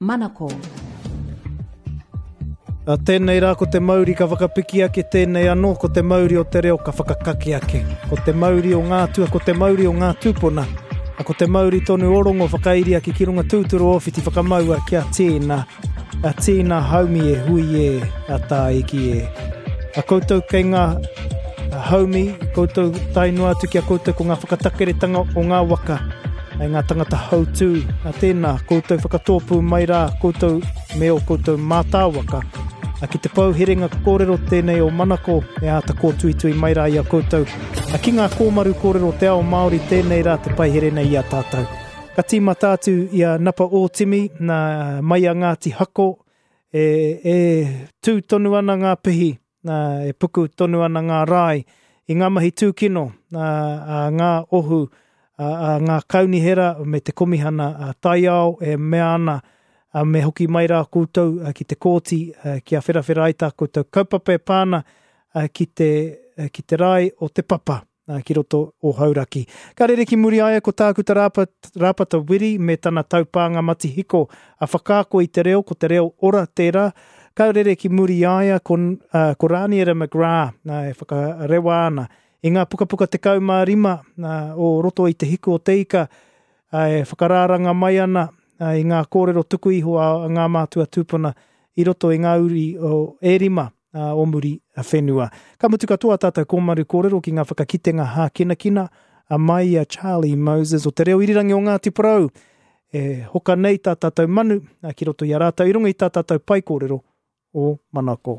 Manako. A tēnei rā ko te mauri ka whakapiki ake, tēnei anō ko te mauri o te reo ka whakakake ake. Ko te mauri o ngā atua, ko te mauri o ngā tūpuna. A ko te mauri tonu o Rongo whakairi ake ki runga tūturu o Whiti whakamaua kia tīna, a tīna haumi e hui e, a tāiki e. A koutou kei ngā haumi, koutou tae noa atu ki a koutou ko ngā whakatakeretanga o ngā waka, ai ngā tangata hautū, a tēnā, koutou whakatōpū mai rā, koutou me ō koutou mātāwaka, a ki te pou herenga kōrero tēnei o Manako e āta kōtuitui mai rā i a koutou, a ki ngā kōmaru kōrero o te ao Māori tēnei rā te paihere nei i a tātou. Ka tīmata atu i a Napa Ōtimi, nā, mai a Ngāti Hako, e, e tū tonu ana ngā pihi, nā, e puku tonu ana ngā rae i ngā mahi tūkino nā, a ngā ohu, a, a ngā kaunihera me te komihana a taiao e mea ana a me hoki mai rā koutou ki te kōti kia wherawhera ai tā koutou kaupapa e pā ana ki te, ki te rae o Te Papa. ki roto o Hauraki. Ka rere ki muri aia ko Tākuta Rāpata Wiri me tana taupānga matihiko a Whakaako i te reo, ko te reo ora tērā. Ka rere ki muri aia ko, uh, ko Rāniera McGrath e whakarewa ana i ngā pukapuka 15 uh, o roto i te hiku o te ika uh, e whakarāranga mai ana uh, i ngā kōrero tuku iho a, a ngā mātua tūpuna i roto i ngā uri o, e rima o muri whenua. Ka mutu katoa tātou kōmaru kōrero ki ngā whakakitenga hākinakina a mai i a Charlie Moses o Te Reo Irirangi o Ngāti Porou e hoka nei tā tātou manu ki roto i a rātou i runga i tā tātou pae kōrero o Manako.